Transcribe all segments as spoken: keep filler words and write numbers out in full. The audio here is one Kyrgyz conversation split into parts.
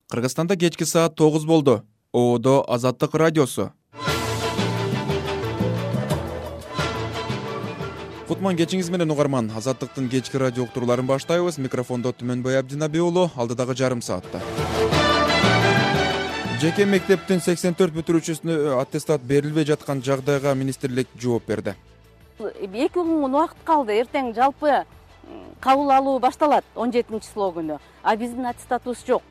Кыргызстанда кечки саат тогуз болду. Оодо Азаттык радиосу. Кутман кечиңиз менен угарман. Азаттыктын кечки радио уктурууларын баштайбыз. Микрофондо Түмөнбай Абдинабиулу, алдыдагы жарым саатта. Жеке мектептин сексен төрт бүтүрүүчүсүнө аттестат берилбей жаткан жагдайга министрлик жооп берди. эки күн убакыт калды. Эртең жалпы кабыл алуу башталат он жетинчи числоо күнү. А биздин аттестатыбыз жок.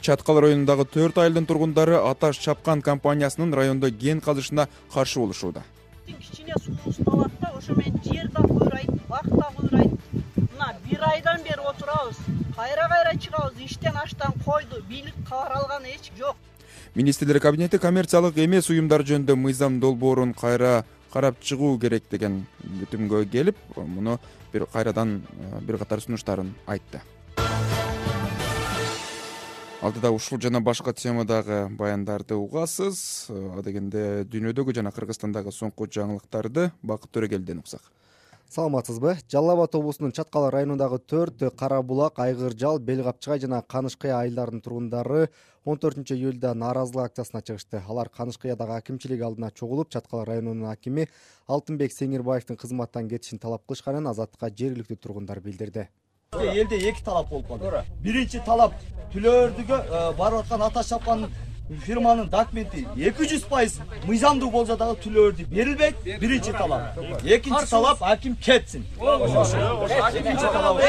Чаткал районундагы төрт айылдын тургундары Аташ Чапкан компаниясынын райондо кен казышына каршы болушууда. Кичине суубуз талат да, ошо менен жер да куйрайт, бак да куйрайт. Мына бир айдан бери отурабыз. Кайра-кайра чыгабыз, иштен аштан койду, бийлик кабар алган эч жок. Министрлер кабинети коммерциялык эмес уюмдар жөнүндө мыйзам долбоорун кайра карап чыгуу керек деген бүтүмгө келип, муну бир кайрадан бир катар сунуштарын айтты. Алдыда ушул жана башка темадагы баяндарды угасыз. Адегенде дүйнөдөгү жана Кыргызстандагы соңку жаңылыктарды Бакыт Төрөгелден уксак. Саламатсызбы? Жалал Абад облусунун Чаткал районундагы төрт Кара Булак, Айгыр-Жал, Бел Капчыгай жана Канышкыя айылдарынын тургундары он төртүнчү июлда нааразылык акциясына чыгышты. Алар Канышкыядагы акимчилик алдына чогулуп, Чаткал районунун акими Алтынбек Сеңирбаевдин кызматтан кетишин талап кылышканын Азаттыкка жергиликтүү тургундар билдирди. Элде эки талап болуп калды. Биринчи талап түлөөрдүгө барып аткан Аташ Чапкан фирманын документи эки жүз пайыз мыйзамдуу болсо дагы түлөөрдү берилбейт. Биринчи талап. Экинчи талап аким кетсин. Экинчи талап.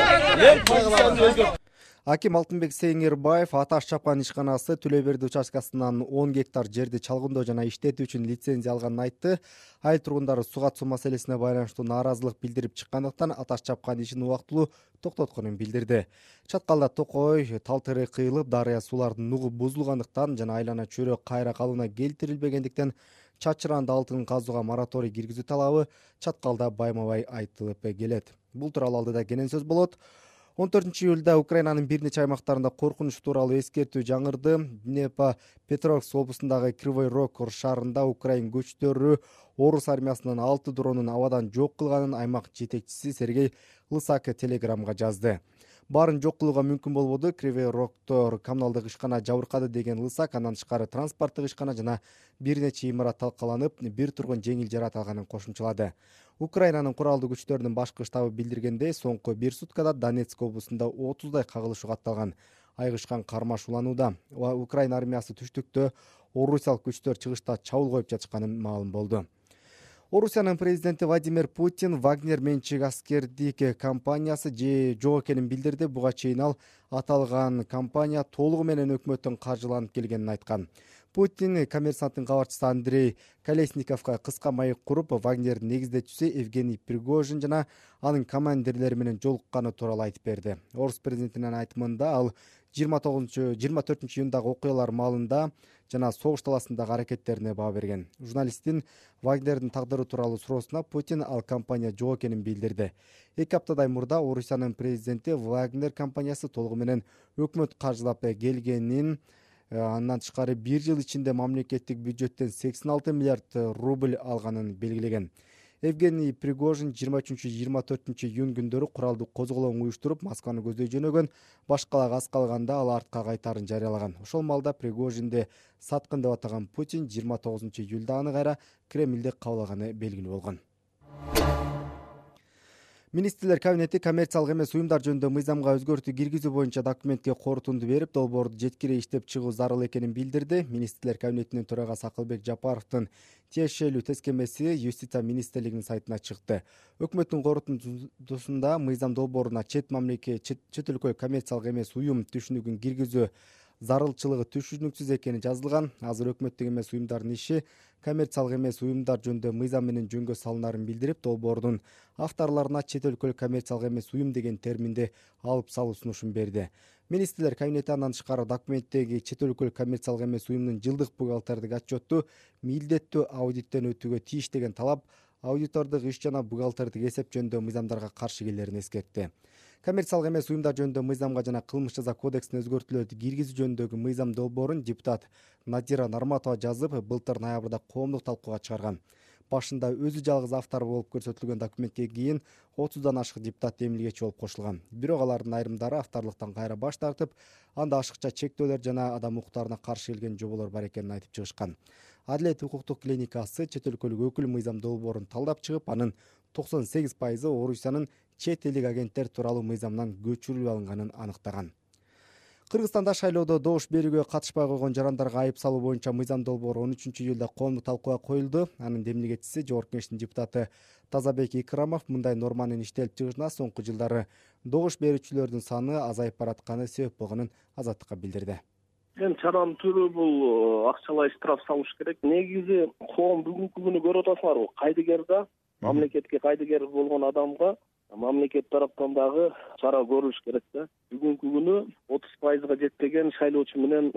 Аким Алтынбек Сеңирбаев Аташ Чапкан ишканасы Түлөберди участкасынан он гектар жерди чалгындоо жана иштетүү үчүн лицензия алганын айтты. Айыл тургундары суу катышуу маселесине байланыштуу нааразылык билдирип чыккандыктан Аташ Чапкан ишин убактылуу токтотконун билдирди. Чаткалда токой, тал терек кыйылып, дарыя суулардын нугу бузулгандыктан жана айлана чөйрө кайра калыбына келтирилбегендиктен чачыранды алтын казууга мораторий киргизүү талабы Чаткалда байма-бай айтылып келет. Бул тууралуу алдыда кенен сөз болот. он төртүнчү июлда Украинанын бир нече аймактарында коркунуч тууралуу эскертүү жаңырды. Днепропетровск облусундагы Кривой Рог шаарында Украин күчтөрү орус армиясынын алты дронун абадан жок кылганын аймак жетекчиси Сергей Лысак телеграмга жазды. Баарын жок кылууга мүмкүн болбоду. Кривой Рогдо коммуналдык ишкана жабыркады деген Лысак, андан тышкары транспорттук ишкана жана бир нече имарат талкаланып, бир тургун жеңил жаракат алганын кошумчалады. Украинанын куралдуу күчтөрүнүн башкы штабы билдиргендей, соңку бир суткада Донецк облусунда отуздай кагылышуу катталган. Айгышкан кармаш уланууда. Украина армиясы түштүктө орусиялык күчтөр чыгышта чабуул коюп жатышканы маалым болду. Орусиянын президенти Владимир Путин Вагнер менчик аскердик компаниясы же жок экенин билдирди. Буга чейин ал аталган компания толугу менен өкмөттөн каржыланып келгенин айткан. Путин коммерсанттын кабарчысы Андрей Колесниковго кыска маек куруп, Вагнердин негиздечүүсү Евгений Пригожин жана анын командирлери менен жолукканы тууралуу айтып берди. Орус президентинин айтымында ал жыйырма тогузунчу жыйырма төртүнчү июндагы окуялар маалында жана согуш таласындагы аракеттерине баа берген. Журналисттин Вагнердин тагдыры тууралуу суроосуна Путин ал компания жок экенин билдирди. Эки аптадай мурда Орусиянын президенти Вагнер компаниясы толугу менен өкмөт каржылап келгенин, андан тышкары бир жыл ичинде мамлекеттик бюджеттен сексен алты миллиард рубль алганын белгилеген. Евгений Пригожин жыйырма үчүнчү жыйырма төртүнчү июнь күндөрү куралдуу козголоң уюштуруп, Москваны көздөй жөнөгөн, башкалар аз калганда ал артка кайтаарын жарыялаган. Ошол маалда Пригожинди саткын деп атаган Путин жыйырма тогузунчу июлда аны кайра Кремлде кабыл алганы белгилүү болгон. Министрлер кабинети коммерциялык эмес уюмдар жөнүндө мыйзамга өзгөртүү киргизүү боюнча документке корутунду берип, долбоорду жеткире иштеп чыгуу зарыл экенин билдирди. Министрлер кабинетинин төрагасы Акылбек Жапаровдун тиешелүү тескемеси Юстиция министрлигинин сайтына чыкты. Өкмөттүн корутундусунда мыйзам долбооруна чет мамлекет, чет өлкө коммерциялык эмес уюм түшүнүгүн киргизүү зарылчылыгы түшүнүксүз экени жазылган. Азыр өкмөттүк эмес уюмдардын иши коммерциялык эмес уюмдар жөнүндө мыйзам менен жөнгө салынарын билдирип, долбоордун авторлоруна чет өлкөлүк коммерциялык эмес уюм деген терминди алып салуу сунушун берди. Министрлер кабинети андан тышкары документтеги чет өлкөлүк коммерциялык эмес уюмдун жылдык бухгалтердик отчетту милдеттүү аудиттен өтүүгө тийиш деген талап, аудитордук иш жана бухгалтердик эсеп жөнүндө мыйзамдарга каршы келерин эскертти. Коммерциялык эмес уюмдар жөнүндө мыйзамга жана кылмыш жаза кодексине өзгөртүүлөрдү киргизүү жөнүндөгү мыйзам долбоорун депутат Надира Нарматова жазып, былтыр ноябрда коомдук талкууга чыгарган. башында өзү жалгыз автор болуп көрсөтүлгөн документке кийин отуздан ашык депутат эмилгечи болуп кошулган. Бирок алардын айрымдары авторлуктан кайра баш тартып, анда ашыкча чектөөлөр жана адам укуктарына каршы келген жоболор бар экенин айтып чыгышкан. Адилет укуктук клиникасы чет өлкөлүк өкүл мыйзам долбоорун талдап чыгып, анын токсон сегиз пайызы Орусиянын чет элдик агенттер тууралуу мыйзамынан көчүрүлүп алынганын аныктаган. Кыргызстанда шайлоодо добуш берүүгө катышпай койгон жарандарга айып салуу боюнча мыйзам долбоору он үчүнчү июлда коомдук талкууга коюлду. Анын демилгечиси Жогорку Кеңештин депутаты Тазабек Икрамов мындай норманын иштелип чыгышына соңку жылдары добуш берүүчүлөрдүн саны азайып баратканы себеп болгонун Азаттыкка билдирди. Эми чаранын түрү бул акчалай штраф салыш керек. Негизи коом бүгүнкү күнү көрүп атасыңарбы? Кайдыгер да, мамлекетке кайдыгер болгон адамга мамлекет тараптан дагы чара көрүлүш керек да. Бүгүнкү күнү отуз пайызга жетпеген шайлоочу менен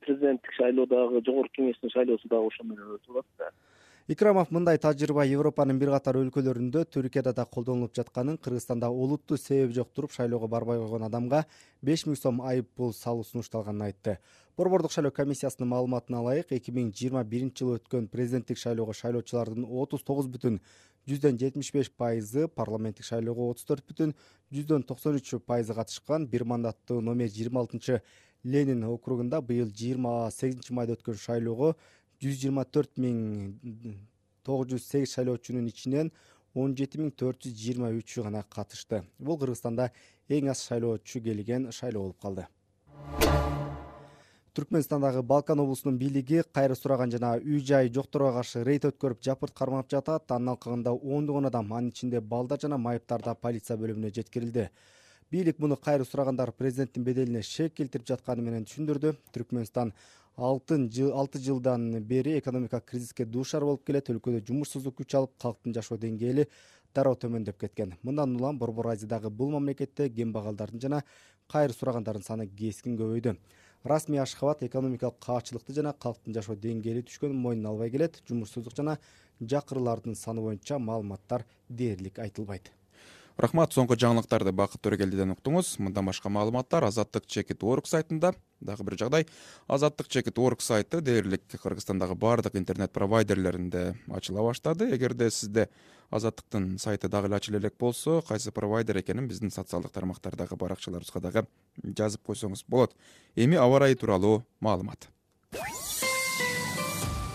президенттик шайлоодагы Жогорку Кеңештин шайлоосу дагы ошо менен өтүп атат да. Икрамов мындай тажрыйба Европанын бир катар өлкөлөрүндө, Түркияда да колдонулуп жатканын, Кыргызстанда олуттуу себеби жок туруп шайлоого барбай койгон адамга беш миң сом айып пул салуу сунушталганын айтты. Борбордук шайлоо комиссиясынын маалыматына ылайык, эки миң жыйырма биринчи жылы өткөн президенттик шайлоого шайлоочулардын отуз тогуз бүтүн жүздөн жетимиш беш пайызы, парламенттик шайлоого отуз төрт бүтүн жүздөн токсон үч пайызы катышкан. Бир мандаттуу номер жыйырма алтынчы Ленин округунда быйыл жыйырма сегизинчи майда өткөн шайлоого жүз жыйырма төрт миң тогуз жүз сегиз шайлоочунун ичинен он жети миң төрт жүз жыйырма үчү гана катышты. Бул Кыргызстанда эң аз шайлоочу келген шайлоо болуп калды. Түркмөнстандагы Балкан облусунун бийлиги кайры сураган жана үй-жай жокторго каршы рейд өткөрүп жапырт кармап жатат. Анын алкагында ондогон адам, анын ичинде балдар жана майыптар да полиция бөлүмүнө жеткирилди. Бийлик муну кайры сурагандар президенттин беделине шек келтирип жатканы менен түшүндүрдү. Түркмөнстан алты жылдан бери экономикалык кризиске дуушар болуп келет. Өлкөдө жумушсуздук күч алып, калктын жашоо деңгээли дароо төмөндөп кеткен. Мындан улам Борбор Азиядагы бул мамлекетте кембагалдардын жана кайры сурагандардын саны кескин көбөйдү. Расмий Ашхабад экономикалык каачылыкты жана калктын жашоо деңгээли түшкөнүн мойнуна албай келет. Жумушсуздук жана жакырылардын саны боюнча маалыматтар дээрлик айтылбайт. Рахмат, соңку жаңылыктарды Бакыт Төрөгелдиден уктуңуз. Мындан башка маалыматтар Азаттык чекит точка орг сайтында. Дагы бир жагдай, Азаттык чекит точка орг сайты дээрлик Кыргызстандагы баардык интернет провайдерлеринде ачыла баштады. Эгерде сизде Азаттыктын сайты дагы эле ачыла элек болсо, кайсы провайдер экенин биздин социалдык тармактардагы баракчаларыбызга дагы жазып койсоңуз болот. Эми аба ырайы тууралуу маалымат.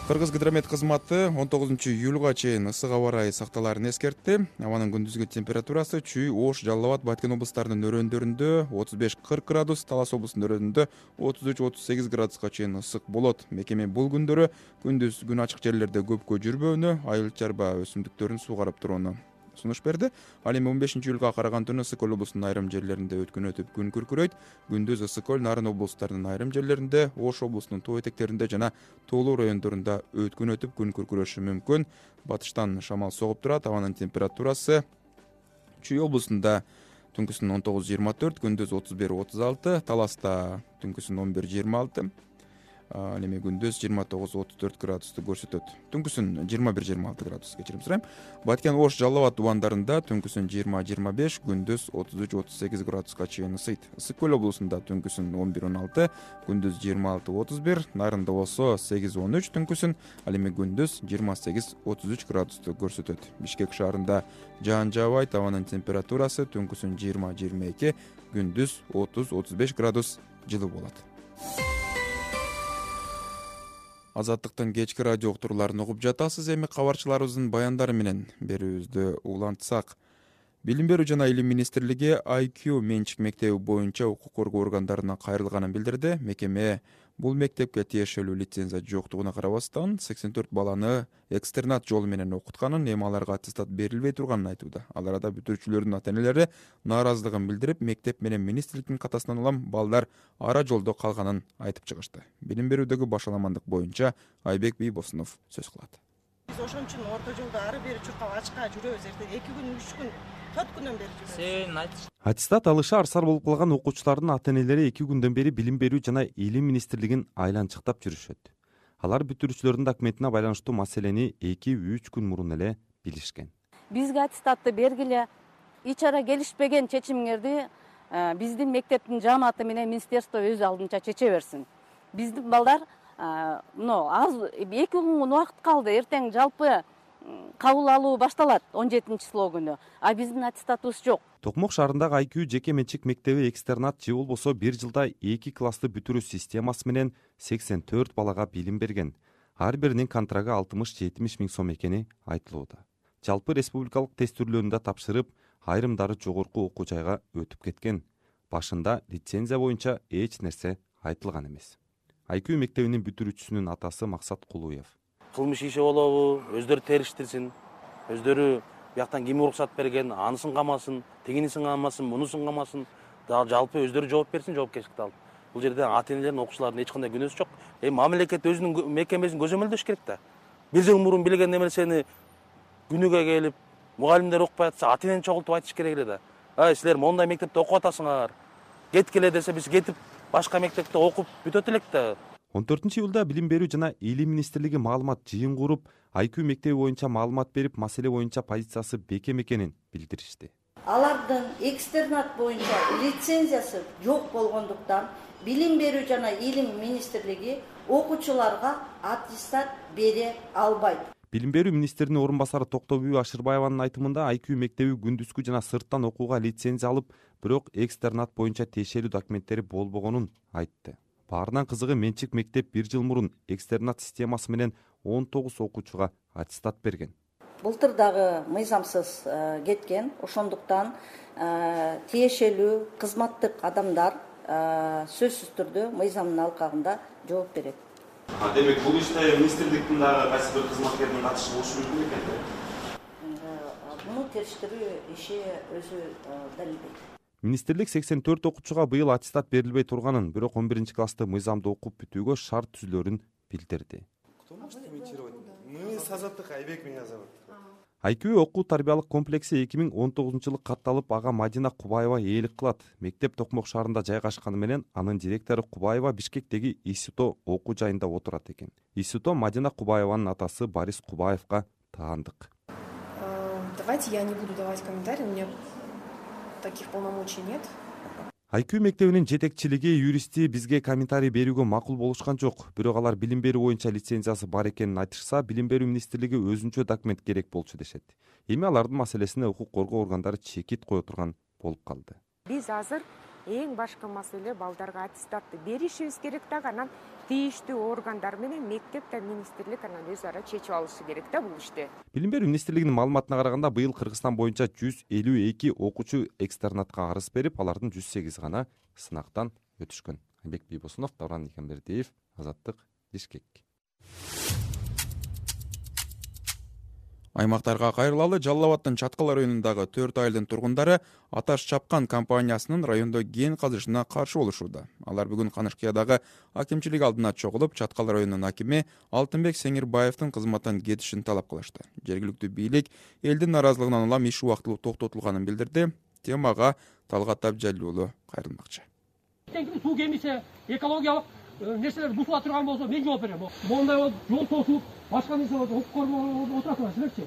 Кыргыз гидромет кызматы он тогузунчу июлга чейин ысык аба ырайы сакталаарын эскертти. Абанын күндүзгү температурасы Чүй, Ош, Жалал Абад, Баткен облустарынын өрөөндөрүндө отуз беш кырк градус, Талас облусунун өрөөндөрүндө отуз үч отуз сегиз градуска чейин ысык болот. Мекеме бул күндөрү күндүз күн ачык жерлерде көпкө жүрбөөнү, айыл чарба өсүмдүктөрүн суугарып турууну сунуш берди. Ал эми он бешинчи июлга караган түнү Ысык көл облусунун айрым жерлеринде өткөн өтүп күн күркүрөйт. Күндүз Ысык көл, Нарын облустарынын айрым жерлеринде, Ош облусунун тоо этектеринде жана тоолуу райондорунда өткөн өтүп күн күркүрөшү мүмкүн. Батыштан шамал согуп турат. Абанын температурасы Чүй облусунда түнкүсүн он тогуз жыйырма төрт, күндүз отуз бир отуз алты, Таласта түнкүсүн он бир жыйырма алты, ал эми күндүз жыйырма тогуз отуз төрт градусту көрсөтөт. Түнкүсүн жыйырма бир жыйырма алты градус, кечирим сурайм. Баткен, Ош, Жалал Абад тубандарында түнкүсүн жыйырма жыйырма беш, күндүз отуз үч отуз сегиз градуска чейин ысыйт. Ысык көл облусунда түнкүсүн он бир он алты, күндүз жыйырма алты отуз бир, Нарында болсо сегиз он үч түнкүсүн, ал эми күндүз жыйырма сегиз отуз үч градусту көрсөтөт. Бишкек шаарында жаан жаабайт, абанын температурасы түнкүсүн жыйырма жыйырма эки, күндүз отуз отуз беш градус жылуу болот. Азаттыктын кечки радио уктурууларын угуп жатасыз. Эми кабарчыларыбыздын баяндары менен берүүбүздү улантсак. Билим берүү жана илим министрлиги ай кью менчик мектеби боюнча укук коргоо органдарына кайрылганын билдирди. Мекеме бул мектепке тиешелүү лицензия жоктугуна карабастан сексен төрт баланы экстернат жолу менен окутканын, эми аларга аттестат берилбей турганын айтууда. Ал арада бүтүрүүчүлөрдүн ата-энелери нааразылыгын билдирип, мектеп менен министрликтин катасынан улам балдар ара жолдо калганын айтып чыгышты. Билим берүүдөгү башаламандык боюнча Айбек Бийбосунов сөз кылат. Биз ошон үчүн орто жолдо ары бери чуркап ачка жүрөбүз. Эртең эки күн, үч күн, төрт күндөн бери жүрөбүз. Себебин айтыш. Аттестат алышы арсар болуп калган окуучулардын ата-энелери эки күндөн бери билим берүү жана илим министрлигин айланчыктап жүрүшөт. Алар бүтүрүүчүлөрдүн документине байланыштуу маселени эки үч күн мурун эле билишкен. Бизге аттестатты бергиле, ич ара келишпеген чечимиңерди биздин мектептин жааматы менен министерство өз алдынча чече берсин. Биздин балдар мына аз эки күн убакыт калды. Эртең жалпы кабыл алуу башталат он жетинчи числоо күнү, а биздин аттестатыбыз жок. Токмок шаарындагы Айкүү жеке менчик мектеби экстернат же болбосо бир жылда эки классты бүтүрүү системасы менен сексен төрт балага билим берген. Ар биринин контрагы алтымыш жетимиш миң сом экени айтылууда. Жалпы республикалык тестүрлөөнү тапшырып, айрымдары жогорку окуу жайга өтүп кеткен. Башында лицензия боюнча эч нерсе айтылган эмес. Айкүү мектебинин бүтүрүүчүсүнүн атасы Максат Кулуев. Кылмыш иши болобу, өздөрү териштирсин, өздөрү бияктан ким уруксат берген, анысын камасын, тигинисин камасын, мунусун камасын, жалпы өздөрү жооп берсин, жоопкерчиликти алып. Бул жерде ата-энелердин, окуучулардын эч кандай күнөөсү жок. Эми мамлекет өзүнүн мекемесин көзөмөлдөш керек да. Бир жыл мурун билген нерсени күнүгө келип, мугалимдер укпай атса, ата-энени чогултуп айтыш керек эле да. Ай, силер мондай мектепте окуп атасыңар. Кеткиле десе, биз кетип башка мектепте окуп бүтөт элек да. он төртүнчү июлда Билим берүү жана Илим министрлиги маалымат жыйын куруп, Айкүү мектеби боюнча маалымат берип, маселе боюнча позициясы бекем экенин билдиришти. Алардын экстернат боюнча лицензиясы жок болгондуктан Билим берүү жана Илим министрлиги окуучуларга аттестат бере албайт. Билим берүү министринин орун басары Токтобүй Ашырбаеванын айтымында Айкүү мектеби күндүзгү жана сырттан окууга лицензия алып, бирок экстернат боюнча тиешелүү документтери болбогонун айтты. Баарынан кызыгы менчик мектеп бир жыл мурун экстернат системасы менен он тогуз окуучуга аттестат берген. Былтыр дагы мыйзамсыз кеткен, ошондуктан тиешелүү кызматтык адамдар сөзсүз түрдө мыйзамдын алкагында жооп берет. Демек бул иште министрликтин дагы кайсы бир кызматкеринин катышы болушу мүмкүн экен да? Муну териштирүү иши өзү далилдейт. Министрлик сексен төрт окуучуга быйыл аттестат берилбей турганын, бирок он биринчи классты мыйзамды окуп бүтүүгө шарт түзүлөрүн билдирди. Кто может комментировать? Мы с Азаттык Айбек меня зовут. Айкүү окуу тарбиялык комплекси эки миң он тогузунчу жылы катталып, ага Мадина Кубаева ээлик кылат. Мектеп Токмок шаарында жайгашканы менен анын директору Кубаева Бишкектеги ИСУТО окуу жайында отурат экен. ИСУТО Мадина Кубаеванын атасы Борис Кубаевга таандык. Давайте я не буду давать комментарии, у меня таких полномочий нет. Айкүү мектебинин жетекчилиги, юристи бизге комментарий берүүгө макул болушкан жок. Бирок алар билим берүү боюнча лицензиясы бар экенин айтышса, Билим берүү министрлиги өзүнчө документ керек болчу дешет. Эми алардын маселесине укук коргоо органдары чекит кое турган болуп калды. Биз азыр эң башкы маселе балдарга аттестатты беришибиз керек да, анан тийиштүү органдар менен мектеп да министрлик анан өз ара чечип алышы керек да бул ишти. Билим берүү министрлигинин маалыматына караганда, быйыл Кыргызстан боюнча жүз элүү эки окуучу экстернатка арыз берип, алардын жүз сегизи гана сынактан өтүшкөн. Айбек Бийбосунов, Давран Никембердиев, Азаттык, Бишкек. Аймактарга кайрылалы. Жалал Абадтын Чаткал районундагы төрт айылдын тургундары Аташ Чапкан компаниясынын райондо кен казышына каршы болушууда. Алар бүгүн Канышкыядагы акимчилик алдына чогулуп, Чаткал районунун акими Алтынбек Сеңирбаевдин кызматтан кетишин талап кылышты. Жергиликтүү бийлик элдин наразылыгынан улам иш убактылуу токтотулганын билдирди. Темага Талгат Абжалиулу кайрылмакчы. Суу кемисе экологиялык нерселер бузула турган болсо мен жооп берем. Мондай жол тосуп, башка нерсе окуп көрүп отурасыңар силерчи?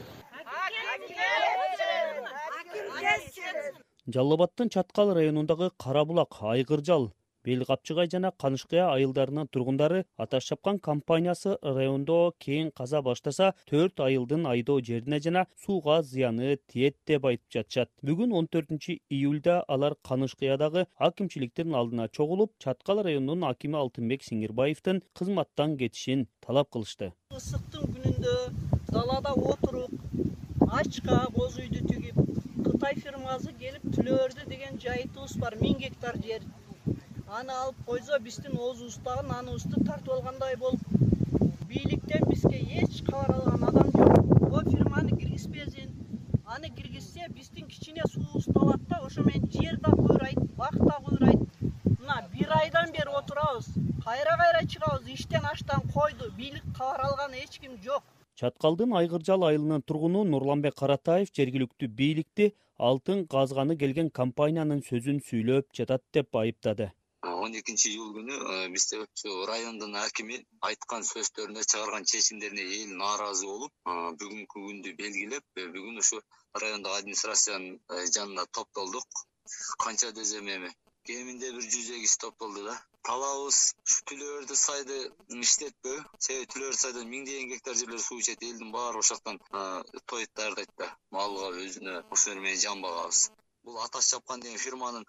Жалал Абадтын Чаткал районундагы Карабулак, Айгыржал, Бел Капчыгай жана Канышкыя айылдарынын тургундары Аташ Чапкан компаниясы райондо кен каза баштаса төрт айылдын айдоо жерине жана сууга зыяны тиет деп айтып жатышат. Бүгүн он төртүнчү июлда алар Канышкыядагы акимчиликтин алдына чогулуп, Чаткал районунун акими Алтынбек Сеңирбаевдин кызматтан кетишин талап кылышты. Ысыктын күнүндө далада отуруп, ачка боз үйдү тигип, Кытай фирмасы келип түлөрдү деген жайытыбыз бар, миң гектар жер. Аны алып койсо биздин оозубуздагы наныбызды тартып алгандай болуп, бийликтен бизге эч кабар алган адам жок. О фирманы киргизбесин, аны киргизсе биздин кичине суубузду алат да, ошо менен жер да куйрайт, бак да куйрайт. Мына бир айдан бери отурабыз, кайра-кайра чыгабыз, иштен аштан койду, бийлик кабар алган эч ким жок. Чаткалдын Айгыржал айылынын тургуну Нурланбек Каратаев жергиликтүү бийликти алтын казганы келген компаниянын сөзүн сүйлөп жатат деп айыптады. он экинчи июль күнү бизде райондун акими айткан сөздөрүнө, чыгарган чечимдерине эл нааразы болуп, бүгүнкү күндү белгилеп, бүгүн ушу райондогу администрациянын жанына топтолдук. Канча десем эми кеминде бир жүз эгиз топ болду да. Талабыбыз ушу Түлөбөрдү сайды иштетпөө. Себеби Түлөбөрдү сайдан миңдеген гектар жерлер суу ичет, элдин баары ошол жактан тоюп даярдайт да. Малга өзүнө ошол менен жан багабыз. Бул Аташ Чапкан деген фирманын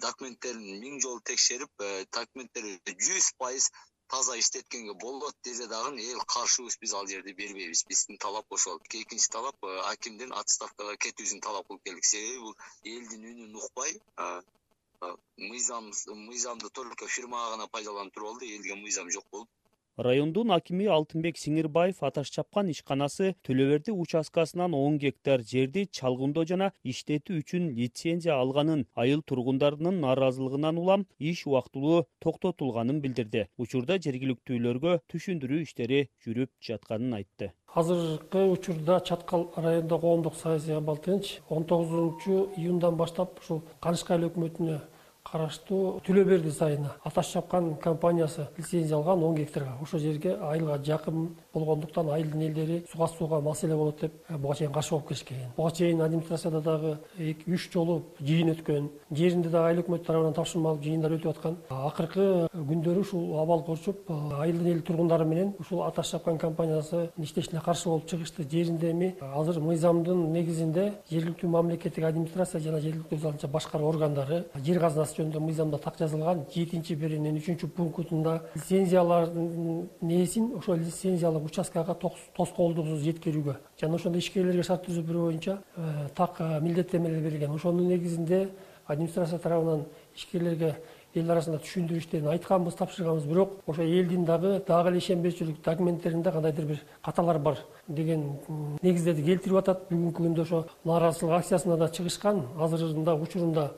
документтерин миң жолу текшерип, документтери жүз пайыз таза иштеткенге болот десе дагы эл каршыбыз, биз ал жерди бербейбиз. Биздин талап ошол. Экинчи талап акимдин отставкага кетүүсүн талап кылып келдик. Себеби бул элдин үнүн укпай, мыйзам мыйзамды только фирмага гана пайдаланып туруп алды, элге мыйзам жок болуп. Райондун акими Алтынбек Сиңирбаев Аташ Чапкан ишканасы Төлөберди участкасынан он гектар жерди чалгындоо жана иштетүү үчүн лицензия алганын, айыл тургундарынын нааразылыгынан улам иш убактылуу токтотулганын билдирди. Учурда жергиликтүүлөргө түшүндүрүү иштери жүрүп жатканын айтты. Азыркы учурда Чаткал райондо коомдук саясий абал тынч. он тогузунчу июндан баштап ушул Канышка айыл өкмөтүнө караштуу Түлөберди сайына Аташ Чапкан компаниясы лицензия алган он гектарга. Ошол жерге айылга жакын болгондуктан айылдын элдери суга сууга маселе болот деп буга чейин каршы болуп келишкен. Буга чейин администрацияда дагы үч жолу жыйын өткөн, жеринде дагы айыл өкмөтү тарабынан тапшырма алып жыйындар өтүп аткан. Акыркы күндөрү ушул абал көрчүп, айылдын эл тургундары менен ушул Аташ Чапкан компаниясы иштешине каршы болуп чыгышты. Жеринде эми азыр мыйзамдын негизинде жергиликтүү мамлекеттик администрация жана жергиликтүү өзү башкаруу органдары жер казынасы жөнүндө мыйзамда так жазылган жетинчи беренин үчүнчү пунктунда лицензиялардын нээсин ошол лицензиялык участкага тоскоолдуксуз жеткирүүгө жана ошондой ишкерлерге шарт түзүү боюнча так милдеттенмелер берилген. Ошонун негизинде администрация тарабынан ишкерлерге эл арасында түшүндүрүү иштерин айтканбыз, тапшырганбыз, бирок ошо элдин дагы дагы эле ишенбөөчүлүк документтеринде кандайдыр бир каталар бар деген негиздерди келтирип атат. Бүгүнкү күндө ошо нааразычылык акциясына да чыгышкан. Азырында учурунда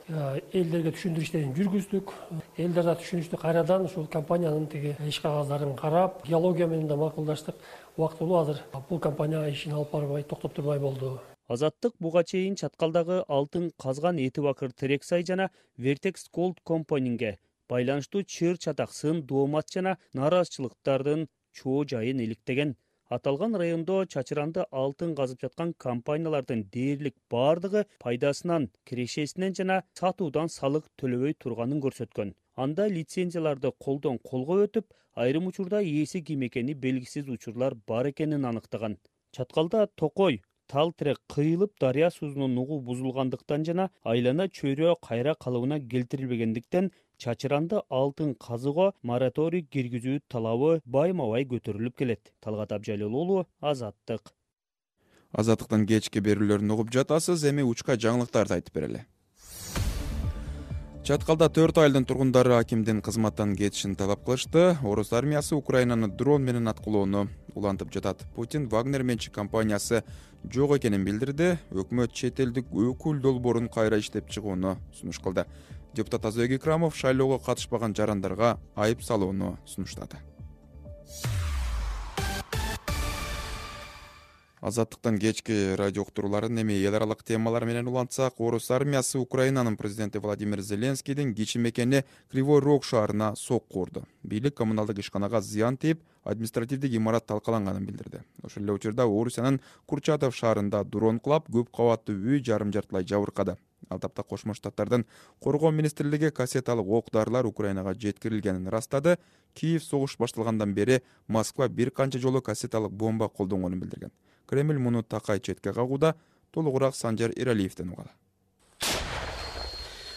элдерге түшүндүрүү иштерин жүргүздүк. Элдер да түшүнүштү, кайрадан ушул компаниянын тиги иш кагаздарын карап, геология менен да макулдаштык. Убактылуу азыр бул компания ишин алып барбай, токтоп турбай болду. Азаттык буга чейин Чаткалдагы алтын казган эти бакыр Терексай жана Vertex Gold компанинге байланыштуу чыр чатак, сын, доомат жана нааразычылыктардын чоо жайын иликтеген. Аталган райондо чачыранды алтын казып жаткан компаниялардын дээрлик бардыгы пайдасынан, кирешесинен жана сатуудан салык төлөбөй турганын көрсөткөн. Анда лицензияларды колдон колго өтүп, айрым учурда ээси ким экени белгисиз учурлар бар экенин аныктаган. Чаткалда токой, тал тирек кыйылып, дарыя суунун нугу бузулгандыктан жана айлана чөйрө кайра калыбына келтирилбегендиктен чачыранды алтын казууга мораторий киргизүү талабы байма-бай көтөрүлүп келет. Талгат Абжалил уулу, Азаттык. Азаттыктын кечки берүүлөрүн угуп жатасыз, эми учка жаңылыктарды айтып берели. Чаткалда төрт айылдын тургундары акимдин кызматтан кетишин талап кылышты. Орус армиясы Украинаны дрон менен аткылоону улантып жатат. Путин Вагнер менчик компаниясы жок экенин билдирди. Өкмөт чет элдик өкүл долбоорун кайра иштеп чыгууну сунуш кылды. Депутат Азбек Икрамов шайлоого катышпаган жарандарга айып салууну сунуштады. Азаттыктан кечки радио уктурууларын эми эл аралык темалар менен улантсак, Орус армиясы Украинанын президенти Владимир Зеленскийдин кичи мекени Кривой Рог шаарына сокку урду. Бийлик коммуналдык ишканага зыян тийип, административдик имарат талкаланганын билдирди. Ошол эле учурда Орусиянын Курчатов шаарында дрон кулап, көп кабаттуу үй жарым жартылай жабыркады. Ал тапта Кошмо Штаттардын Коргоо министрлиги кассеталык ок-дарылар Украинага жеткирилгенин ырастады. Киев согуш башталгандан бери Москва бир канча жолу кассеталык бомба колдонгонун билдирген. Кремль муну такай четке кагууда. Толугураак Санжар Иралиевден угалы.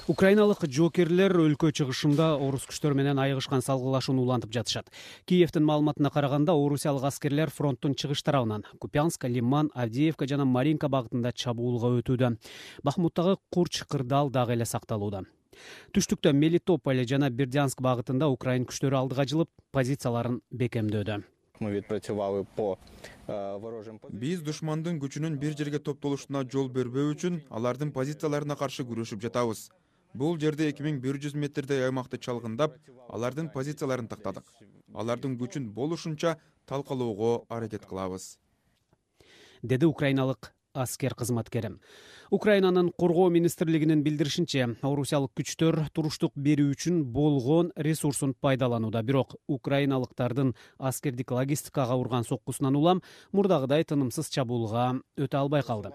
Украиналык жоокерлер өлкө чыгышында орус күчтөр менен айыгышкан салгылашууну улантып жатышат. Киевдин маалыматына караганда, орусиялык аскерлер фронттун чыгыш тарабынан Купянск, Лиман, Авдеевка жана Маринка багытында чабуулга өтүүдө. Бахмуттагы Курч, Кырдал дагы эле сакталууда. Түштүктө Мелитополь жана Бердянск багытында украин күчтөрү алдыга жылып, позицияларын бекемдөөдө. Биз душмандын күчүнүн бир жерге топтолушуна жол бербөө үчүн алардын позицияларына каршы күрөшүп жатабыз. Бул жерде эки миң бир жүз метрдей аймакты чалгындап, алардын позицияларын тактадык. Алардын күчүн болушунча талкалоого аракет кылабыз, деди украиналык аскер кызматкери. Украинанын Коргоо министрлигинин билдиришинче, орусиялык күчтөр туруштук берүү үчүн болгон ресурсун пайдаланууда. Бирок украиналыктардын аскердик логистикага урган соккусунан улам мурдагыдай тынымсыз чабуулга өтө албай калды.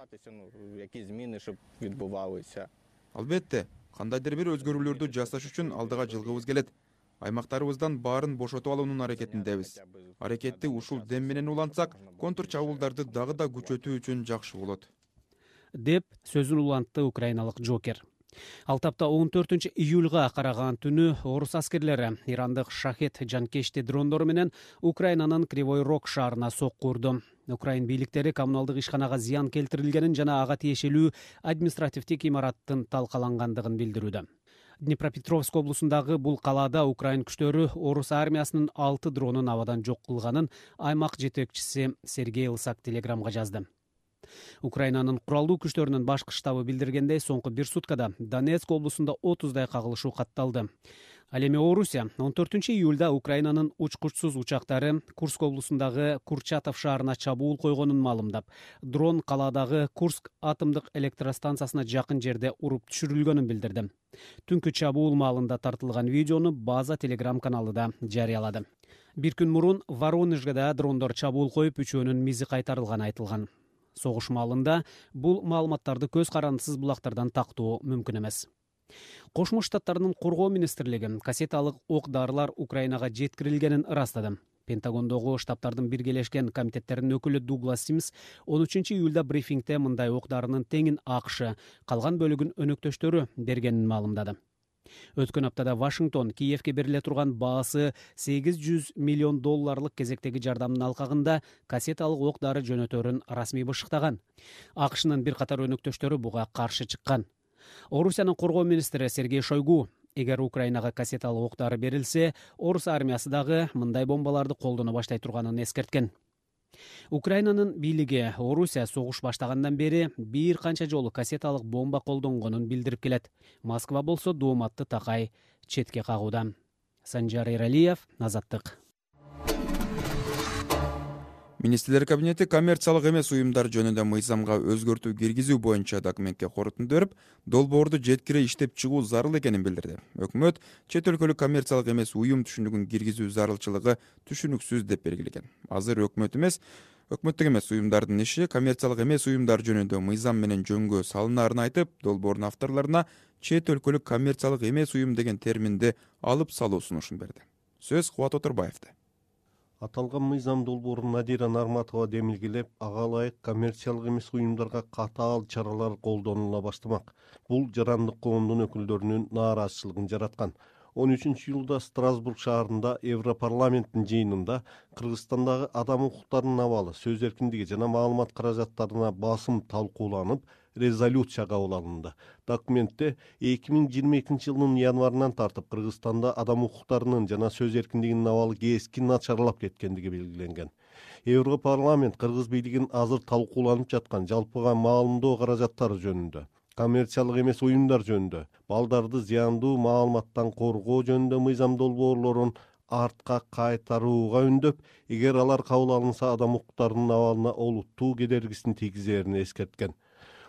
Албетте, кандайдыр бир өзгөрүүлөрдү жасаш үчүн алдыга жылгыбыз келет. Аймактарыбыздан баарын бошотуп алуунун аракетиндебиз. Аракетти ушул дем менен улантсак, контур чабуулдарды дагы да күчөтүү үчүн жакшы болот, деп сөзүн улантты украиналык жокер. Ал тапта он төртүнчү июлга караган түнү орус аскерлери ирандык шахет жанкечти дрондору менен Украинанын Кривой Рог шаарына сокку урду. Украин бийликтери коммуналдык ишканага зыян келтирилгенин жана ага тиешелүү административдик имараттын талкалангандыгын билдирүүдө. Днепропетровск облусундагы бул калаада Украин күчтөрү орус армиясынын алты дронун абадан жок кылганын аймак жетекчиси Сергей Лысак телеграмга жазды. Украинанын куралдуу күчтөрүнүн башкы штабы билдиргендей, соңку бир суткада Донецк облусунда отуздай кагылышуу катталды. Ал эми Орусия он төртүнчү июлда Украинанын учкучсуз учактары Курск облусундагы Курчатов шаарына чабуул койгонун маалымдап, дрон калаадагы Курск атомдук электростанциясына жакын жерде уруп түшүрүлгөнүн билдирди. Түнкү чабуул маалында тартылган видеону база телеграм каналы да жарыялады. Бир күн мурун Воронежге да дрондор чабуул коюп, үчөөнүн мизи кайтарылганы айтылган. Согуш маалында бул маалыматтарды көз карандысыз булактардан тактоо мүмкүн эмес. Кошмо Штаттардын коргоо министрлиги кассеталык ок-дарылар Украинага жеткирилгенин ырастады. Пентагондогу штабтардын биргелешкен комитеттеринин өкүлү Дуглас Симс он үчүнчү июлда брифингде мындай ок-дарынын теңин АКШ, калган бөлүгүн өнөктөштөрү бергенин маалымдады. Өткөн аптада Вашингтон Киевке бериле турган баасы сегиз жүз миллион долларлык кезектеги жардамдын алкагында кассеталык ок-дары жөнөтөрүн расмий бышыктаган. АКШнын бир катар өнөктөштөрү буга каршы чыккан. Орусиянын коргоо министри Сергей Шойгу, эгер Украинага кассеталык ок-дары берилсе, орус армиясы дагы мындай бомбаларды колдоно баштай турганын эскерткен. Украинанын бийлиги Орусия согуш баштагандан бери бир канча жолу кассеталык бомба колдонгонун билдирип келет. Москва болсо дооматты такай четке кагууда. Санжар Эралиев, Азаттык. Министрлер кабинети коммерциялык эмес уюмдар жөнүндө мыйзамга өзгөртүү киргизүү боюнча документке корутунду берип, долбоорду жеткире иштеп чыгуу зарыл экенин билдирди. Өкмөт чет өлкөлүк коммерциялык эмес уюм түшүнүгүн киргизүү зарылчылыгы түшүнүксүз деп белгилеген. Азыр өкмөт эмес, өкмөттүк эмес уюмдардын иши коммерциялык эмес уюмдар жөнүндө мыйзам менен жөнгө салынаарын айтып, долбоордун авторлоруна чет өлкөлүк коммерциялык эмес уюм деген терминди алып салуу сунушун берди. Сөз Кубат Отурбаевда. Аталган мыйзам долбоорун Надира Нарматова демилгелеп, ага ылайык коммерциялык эмес уюмдарга катаал чаралар колдонула баштамак. Бул жарандык коомдун өкүлдөрүнүн нааразычылыгын жараткан. он үчүнчү июлда Страсбург шаарында Европарламенттин жыйынында Кыргызстандагы адам укуктарынын абалы, сөз эркиндиги жана маалымат каражаттарына басым талкууланып, резолюция кабыл алынды. Документте эки миң жыйырма экинчи жылдын январынан тартып Кыргызстанда адам укуктарынын жана сөз эркиндигинин абалы кескин начарлап кеткендиги белгиленген. Европарламент кыргыз бийлигин азыр талкууланып жаткан жалпыга маалымдоо каражаттары жөнүндө, коммерциялык эмес уюмдар жөнүндө, балдарды зыяндуу маалыматтан коргоо жөнүндө мыйзам долбоорлорун артка кайтарууга үндөп, эгер алар кабыл алынса адам укуктарынын абалына олуттуу кедергисин тийгизерин эскерткен.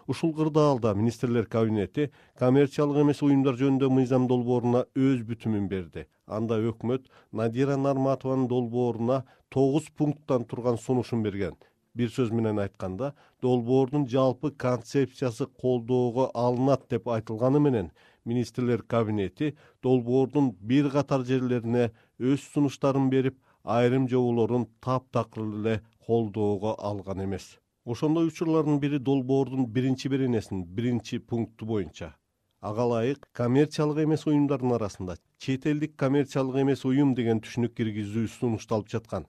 Ушул кырдаалда министрлер кабинети коммерциялык эмес уюмдар жөнүндө мыйзам долбооруна өз бүтүмүн берди. Анда өкмөт Надира Нарматованын долбооруна тогуз пункттан турган сунушун берген. Бир сөз менен айтканда, долбоордун жалпы концепциясы колдоого алынат деп айтылганы менен, министрлер кабинети долбоордун бир катар жерлерине өз сунуштарын берип, айрым жоболорун таптакыр эле колдоого алган эмес. Ошондой учурлардын бири долбоордун биринчи беренесинин биринчи пункту боюнча. Ага ылайык коммерциялык эмес уюмдардын арасында чет элдик коммерциялык эмес уюм деген түшүнүк киргизүү сунушталып жаткан.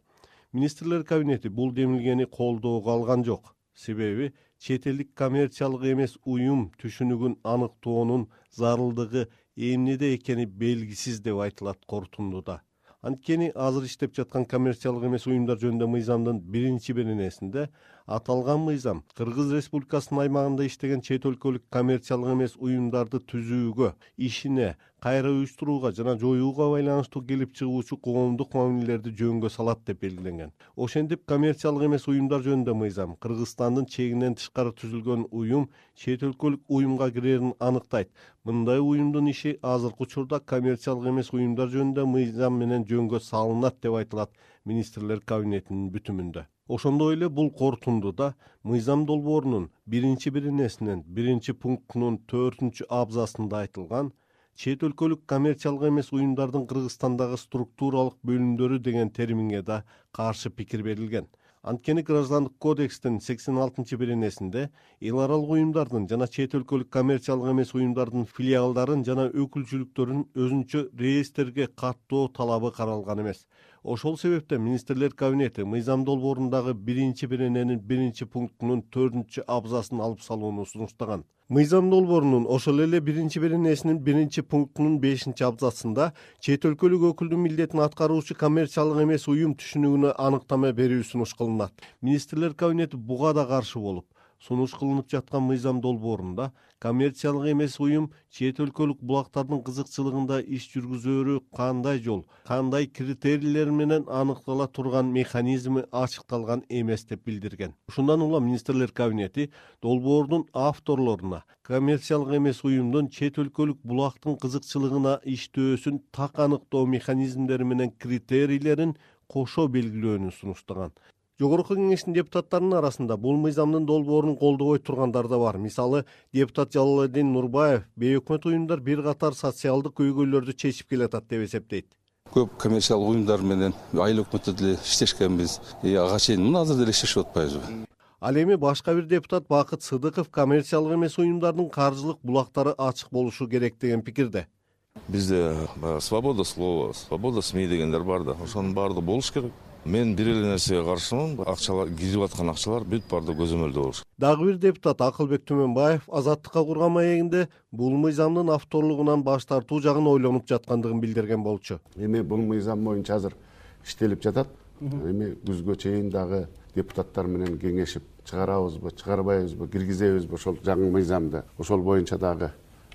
Министрлер кабинети бул демилгени колдоого алган жок. Себеби чет элдик коммерциялык эмес уюм түшүнүгүн аныктоонун зарылдыгы эмнеде экени белгисиз деп айтылат корутундуда. Анткени азыр иштеп жаткан коммерциялык эмес уюмдар жөнүндө мыйзамдын биринчи беренесинде аталган мыйзам Кыргыз Республикасынын аймагында иштеген чет өлкөлүк коммерциялык эмес уюмдарды түзүүгө, ишине, кайра уюштурууга жана жоюуга байланыштуу келип чыгуучу коомдук мамилелерди жөнгө салат деп белгиленген. Ошентип коммерциялык эмес уюмдар жөнүндө мыйзам Кыргызстандын чегинен тышкары түзүлгөн уюм чет өлкөлүк уюмга кирерин аныктайт. Мындай уюмдун иши азыркы учурда коммерциялык эмес уюмдар жөнүндө мыйзам менен жөнгө салынат деп айтылат министрлер кабинетинин бүтүмүндө. Ошондой эле бул корутундуда мыйзам долбоорунун биринчи беренесинин биринчи пунктунун төртүнчү абзацында айтылган чет өлкөлүк коммерциялык эмес уюмдардын Кыргызстандагы структуралык бөлүмдөрү деген терминге да каршы пикир берилген. Анткени Граждандык кодекстин сексен алтынчы беренесинде эл аралык уюмдардын жана чет өлкөлүк коммерциялык эмес уюмдардын филиалдарын жана өкүлчүлүктөрүн өзүнчө реестрге каттоо талабы каралган эмес. Ошол себептен министрлер кабинети мыйзам долбоорундагы биринчи берененин биринчи пунктунун төртүнчү абзацын алып салууну сунуштаган. Мыйзам долбоорунун ошол эле биринчи беренесинин биринчи пунктунун бешинчи абзацында чет өлкөлүк өкүлдүн милдетин аткаруучу коммерциялык эмес уюм түшүнүгүнө аныктама берүү сунуш кылынат. Министрлер кабинети буга да каршы болуп, сунуш кылынып жаткан мыйзам долбоорунда коммерциялык эмес уюм чет өлкөлүк булактардын кызыкчылыгында иш жүргүзөөрү кандай жол, кандай критерийлер менен аныктала турган механизми ачыкталган эмес деп билдирген. Ушундан улам министрлер кабинети долбоордун авторлоруна коммерциялык эмес уюмдун чет өлкөлүк булактын кызыкчылыгына иштөөсүн так аныктоо механизмдери менен критерийлерин кошо белгилөөнү сунуштаган. Жогорку кеңештин депутаттарынын арасында бул мыйзамдын долбоорун колдобой тургандар да бар. Мисалы, депутат Жалалдин Нурбаев бейөкмөт уюмдар бир катар социалдык көйгөйлөрдү чечип келатат деп эсептейт. Көп коммерциялык уюмдар менен айыл өкмөттө деле иштешкенбиз. Ага чейин мына азыр деле иштешип атпайбызбы? Ал эми башка бир депутат Бакыт Сыдыков коммерциялык эмес уюмдардын каржылык булактары ачык болушу керек деген пикирде. Бизде свобода слова, свобода СМИ дегендер бар да. Ошонун баардыгы болуш керек. Мен бир эле нерсеге каршымын. Акчалар кирип аткан акчалар бүт баардыгы көзөмөлдө болуш. Дагы бир депутат Акылбек Түмөнбаев Азаттыкка курган маегинде бул мыйзамдын авторлугунан баш тартуу жагын ойлонуп жаткандыгын билдирген болчу. Эми бул мыйзам боюнча азыр иштелип жатат. Эми күзгө чейин дагы депутаттар менен кеңешип чыгарабызбы, чыгарбайбызбы, киргизебизби ошол жаңы мыйзамды. Ошол боюнча дагы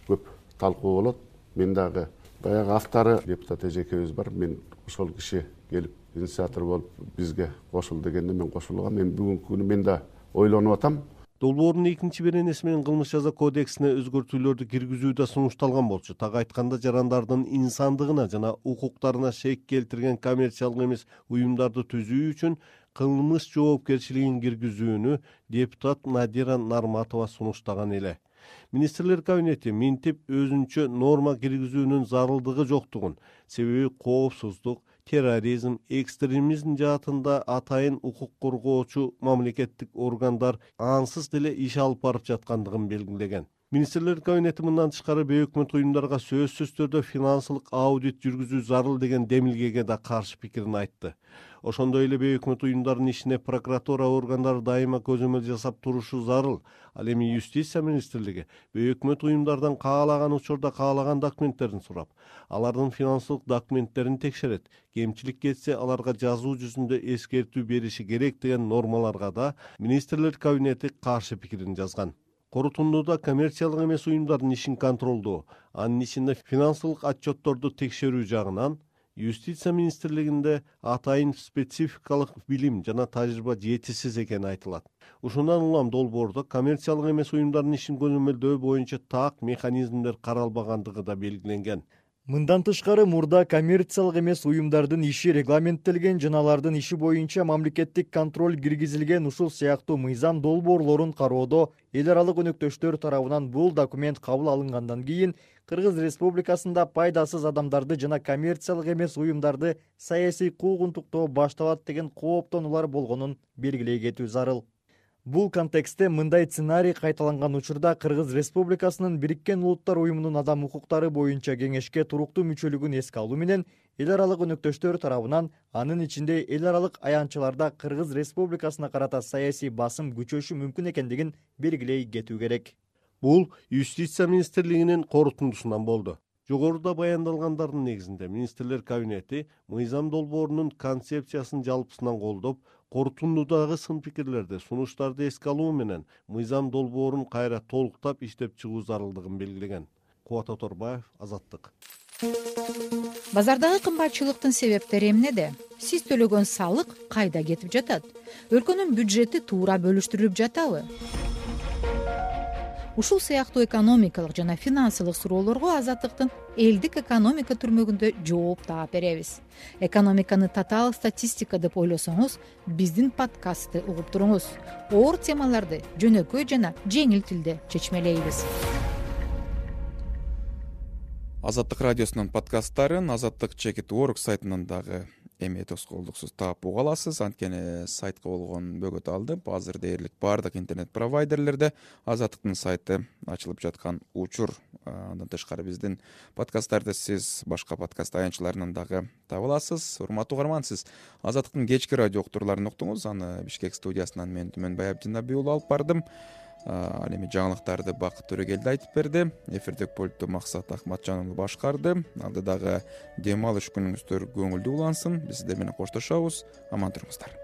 көп талкуу болот. Мен дагы баягы автору депутат эжекебиз бар. Мен ошол киши келип инициатор болуп бизге кошул дегенде мен кошулгам. Мен бүгүнкү күнү мен да ойлонуп атам. Долбоордун экинчи беренеси менен кылмыш жаза кодексине өзгөртүүлөрдү киргизүү да сунушталган болчу. Так айтканда жарандардын инсандыгына жана укуктарына шек келтирген коммерциялык эмес уюмдарды түзүү үчүн кылмыш жоопкерчилигин киргизүүнү депутат Надира Нарматова сунуштаган эле. Министрлер кабинети минтип өзүнчө норма киргизүүнүн зарылдыгы жоктугун, себеби коопсуздук, терроризм, экстремизм жаатында атайын укук коргоочу мамлекеттик органдар ансыз деле иш алып барып жаткандыгын белгилеген. Министрлер кабинети мындан тышкары бейөкмөт уюмдарга сөзсүз түрдө финансылык аудит жүргүзүү зарыл деген демилгеге да каршы пикирин айтты. Ошондой эле бейөкмөт уюмдардын ишине прокуратура органдары дайыма көзөмөл жасап турушу зарыл. Ал эми юстиция министрлиги бейөкмөт уюмдардан каалаган учурда каалаган документтерин сурап, алардын финансылык документтерин текшерет. Кемчилик кетсе аларга жазуу жүзүндө эскертүү бериши керек деген нормаларга да министрлер кабинети каршы пикирин жазган. Корутундуда коммерциялык эмес уюмдардын ишин контролдоо, анын ичинде финансылык отчетторду текшерүү жагынан Юстиция министрлигинде атайын спецификалык билим жана тажрыйба жетишсиз экени айтылат. Ушундан улам долбоордо коммерциялык эмес уюмдардын ишин көзөмөлдөө боюнча так механизмдер каралбагандыгы да белгиленген. Мындан тышкары мурда коммерциялык эмес уюмдардын иши регламенттелген жана алардын иши боюнча мамлекеттик контроль киргизилген ушул сыяктуу мыйзам долбоорлорун кароодо эл аралык өнөктөштөр тарабынан бул документ кабыл алынгандан кийин Кыргыз Республикасында пайдасыз адамдарды жана коммерциялык эмес уюмдарды саясий куугунтуктоо башталат деген кооптонуулар болгонун белгилей кетүү зарыл. Бул контекстте мындай сценарий кайталанган учурда Кыргыз Республикасынын Бириккен Улуттар уюмунун адам укуктары боюнча кеңешке туруктуу мүчөлүгүн эске алуу менен эл аралык өнөктөштөр тарабынан, анын ичинде эл аралык аянтчыларда Кыргыз Республикасына карата саясий басым күчөшү мүмкүн экендигин белгилей кетүү керек. Бул Юстиция министрлигинин корутундусунан болду. Жогоруда баяндалгандардын негизинде министрлер кабинети мыйзам долбоорунун концепциясын жалпысынан колдоп, корутундудагы сын пикирлерди, сунуштарды эске алуу менен мыйзам долбоорун кайра толуктап иштеп чыгуу зарылдыгын белгилеген. Кубат Оторбаев, Азаттык. Базардагы кымбатчылыктын себептери эмнеде? Сиз төлөгөн салык кайда кетип жатат? Өлкөнүн бюджети туура бөлүштүрүлүп жатабы? ушул сыяктуу экономикалык жана финансылык суроолорго азаттыктын элдик экономика түрмөгүндө жооп таап беребиз. Экономиканы татаал статистика деп ойлосоңуз, биздин подкастты угуп туруңуз. Оор темаларды жөнөкөй жана жеңил тилде чечмелейбиз. Азаттык радиосунун подкасттарын Азаттык чекит орг сайтынан дагы эми тоскоолдуксуз таап уга аласыз. Анткени сайтка болгон бөгөт алынып, азыр дээрлик баардык интернет провайдерлерде Азаттыктын сайты ачылып жаткан учур. Андан тышкары биздин подкасттарды сиз башка подкаст аянтчыларынан дагы таба аласыз. Урматтуу угарман, сиз Азаттыктын кечки радио уктурларын уктуңуз. Аны Бишкек студиясынан мен Түмөнбай Абдинабий уулу алып бардым. Ал эми жаңылыктарды Бакыт Төрөгелди айтып берди. Эфирдик пультту Максат Акматжан уулу башкарды. Алдыдагы дем алыш күнүңүздөр көңүлдүү улансын. Биз сиздер менен коштошобуз. Аман туруңуздар.